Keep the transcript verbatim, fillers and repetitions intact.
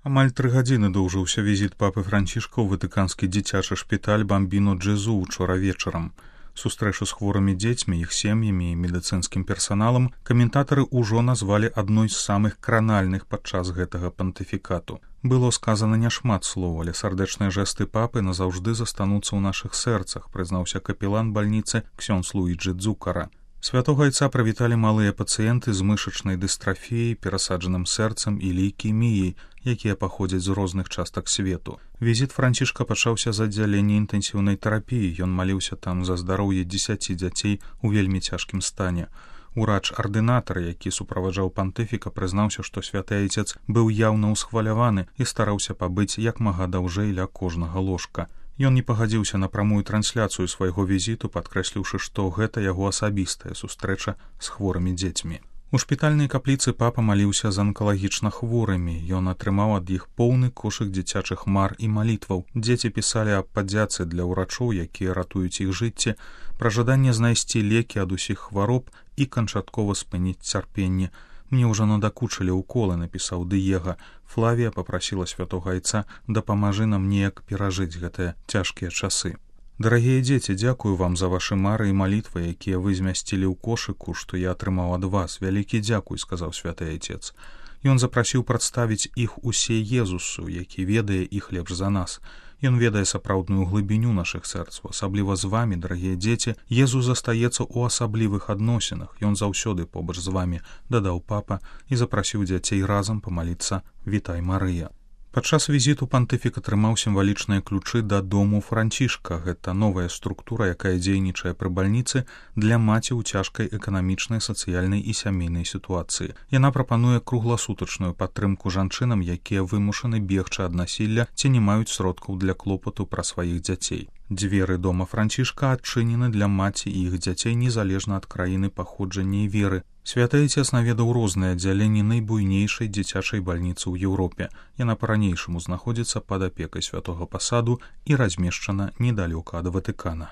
Амаль тры гадзіны доўжыўся візіт папы Францішка ў ватыканскі дзіцячы шпіталь Бамбіно Джезу учора вечарам. Сустрэчу з хворымі дзецьмі, іх сем'ямі і медыцынскім персаналам каментатары ўжо назвалі адной з самых кранальных падчас гэтага пантыфікату. Было сказана няшмат слоў, але сардэчныя жэсты папы назаўжды застануцца ў нашых сэрцах, прызнаўся капелан бальніцы ксёндз Луіджы Дзукара. Святога айца прывіталі малыя пацыенты з мышачнай дыстрафіяй, перасаджаным сэрцам і лейкеміяй, якія паходзяць з розных частак свету. Візіт Францішка пачаўся з аддзялення інтэнсіўнай тэрапіі. Ён маліўся там за здароўе дзесяці дзяцей у вельмі цяжкім стане. Урач-ардынатар, які суправаджаў пантыфіка, прызнаўся, што святы айцец быў яўна ўсхваляваны і стараўся пабыць як мага даўжэй ля кожнага ложка. Ён не пагадзіўся на прамую трансляцыю свайго візіту, падкрэсліўшы, што гэта яго асабістая сустрэча з хворымі дзецьмі. У шпітальнай капліцы папа маліўся з анкалагічна хворымі. Ён атрымаў ад іх поўны кошык дзіцячых мар і малітваў. Дзеці пісалі аб падзяцы для ўрачоў, якія ратуюць іх жыцці, пра жаданне знайсці лекі ад усіх хвароб і канчаткова спыніць цярпенне. «Мне ўжо надакучылі ўколы», напісаў Дыега. Флавія папрасіла святога айца «дапамажы нам неяк перажыць гэтыя цяжкія часы». «Дарагія дзеці, дзякую вам за вашы мары і малітвы, якія вы змясцілі ў кошыку, што я атрымаў ад вас. Вялікі дзякуй», сказаў святы айцец. Ён запрасіў прадставіць іх усе Езусу, які ведае іх лепш за нас. Ён ведае сапраўдную глыбіню нашых сэрцаў, асабліва з вамі, дарагія дзеці. Езус застаецца ў асаблівых адносінах. Ён заўсёды побач з вамі, дадаў папа і запрасіў дзяцей разам памаліцца «Вітай, Марыя». Падчас візіту пантыфік атрымаў сімвалічныя ключы да дому Францішка. Гэта новая структура, якая дзейнічае пры бальніцы для маці ў цяжкай эканамічнай, сацыяльнай і сямейнай сітуацыі. Яна прапануе кругласутачную падтрымку жанчынам, якія вымушаны бегчы ад насілля ці не маюць сродкаў для клопату пра сваіх дзяцей. Дзверы дома Францішка адчынены для маці і іх дзяцей незалежна ад краіны паходжання і веры. Святы айцец наведаў розныя аддзяленні найбуйнейшай дзіцячай бальніцы ў Еўропе. Яна па-ранейшаму знаходзіцца пад апекай святога пасаду і размешчана недалёка ад Ватыкана.